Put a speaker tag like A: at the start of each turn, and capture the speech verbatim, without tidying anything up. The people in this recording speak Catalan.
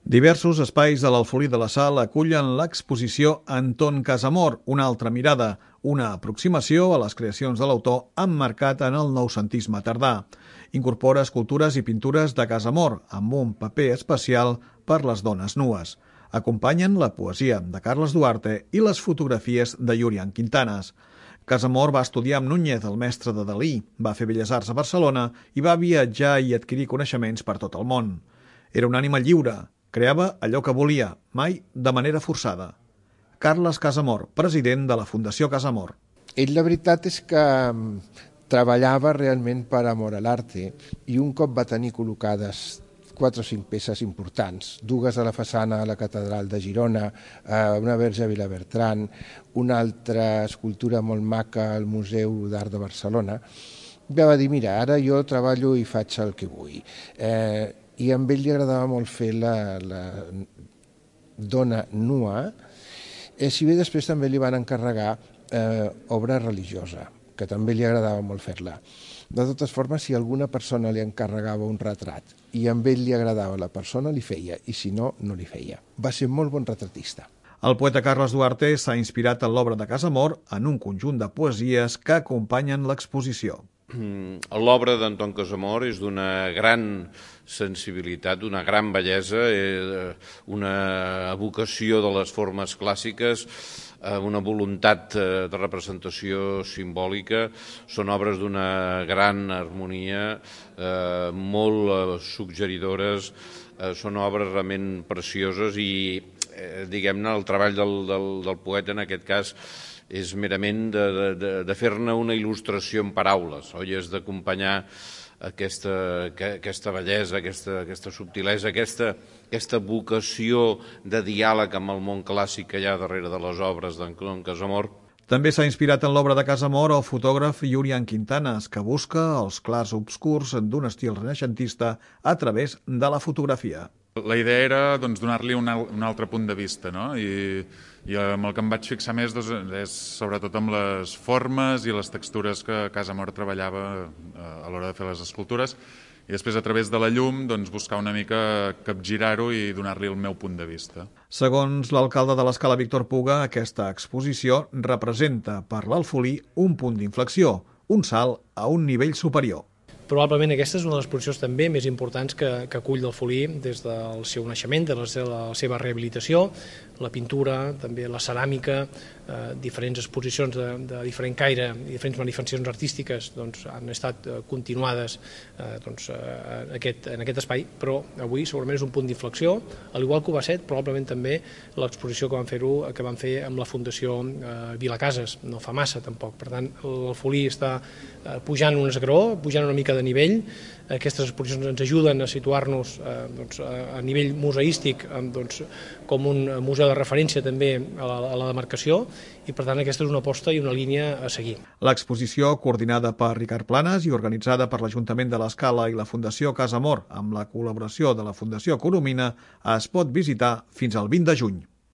A: Diversos espais de l'Alfolí de la Sal acullen l'exposició Anton Casamor, una altra mirada, una aproximació a les creacions de l'autor emmarcat en el noucentisme tardà. Incorpora escultures i pintures de Casamor, amb un paper especial per les dones nues. Acompanyen la poesia de Carles Duarte i les fotografies de Julián Quintanas. Casamor va estudiar amb Núñez, el mestre de Dalí, va fer Belles Arts a Barcelona i va viatjar i adquirir coneixements per tot el món. Era un ànima lliure, creava allò que volia, mai de manera forçada. Carles Casamor, president de la Fundació Casamor.
B: Ell, la veritat és que treballava realment per amor a l'arte i un cop va tenir col·locades quatre o cinc peces importants, dues a la façana a la Catedral de Girona, una Verge a Vilabertran, una altra escultura molt maca al Museu d'Art de Barcelona, va dir, mira, ara jo treballo i faig el que vull. Eh, I a ell li agradava molt fer la, la dona nua, eh, si bé després també li van encarregar eh, obra religiosa, que també li agradava molt fer-la. De totes formes, si alguna persona li encarregava un retrat i a ell li agradava la persona, li feia, i si no, no li feia. Va ser molt bon retratista.
A: El poeta Carles Duarte s'ha inspirat en l'obra de Casamor en un conjunt de poesies que acompanyen l'exposició.
C: L'obra d'Anton Casamor és d'una gran sensibilitat, d'una gran bellesa, una evocació de les formes clàssiques, una voluntat de representació simbòlica. Són obres d'una gran harmonia, molt suggeridores, són obres realment precioses i, diguem-ne, el treball del, del, del poeta en aquest cas és merament de, de, de fer-ne una il·lustració en paraules, oi? És d'acompanyar aquesta, aquesta bellesa, aquesta, aquesta subtilesa, aquesta, aquesta vocació de diàleg amb el món clàssic que hi ha darrere de les obres d'Anton Casamor.
A: També s'ha inspirat en l'obra de Casamor el fotògraf Julián Quintanas, que busca els clars obscurs d'un estil renaixentista a través de la fotografia.
D: La idea era doncs, donar-li un, un altre punt de vista, no? I, i amb el que em vaig fixar més doncs, és sobretot amb les formes i les textures que Casamor treballava a l'hora de fer les escultures, i després a través de la llum doncs, buscar una mica capgirar-ho i donar-li el meu punt de vista.
A: Segons l'alcalde de l'Escala, Víctor Puga, aquesta exposició representa per l'Alfolí un punt d'inflexió, un salt a un nivell superior.
E: Probablement aquesta és una de les exposicions també més importants que, que acull l'Alfolí des del seu naixement, de la seva, la seva rehabilitació, la pintura, també la ceràmica, eh, diferents exposicions de, de diferent caire i diferents manifestacions artístiques doncs, han estat eh, continuades eh, doncs, eh, en, aquest, en aquest espai, però avui segurament és un punt d'inflexió, al igual que ho va ser probablement també l'exposició que van fer-ho que van fer amb la Fundació eh, Vilacases, no fa massa tampoc. Per tant, l'Alfolí està eh, pujant un esgraó, pujant una mica de nivell. Aquestes exposicions ens ajuden a situar-nos eh, doncs, a nivell museístic eh, doncs, com un museu de referència també a la, a la demarcació i per tant aquesta és una aposta i una línia a seguir.
A: L'exposició, coordinada per Ricard Planas i organitzada per l'Ajuntament de l'Escala i la Fundació Casamor amb la col·laboració de la Fundació Coromina, es pot visitar fins al vint de juny.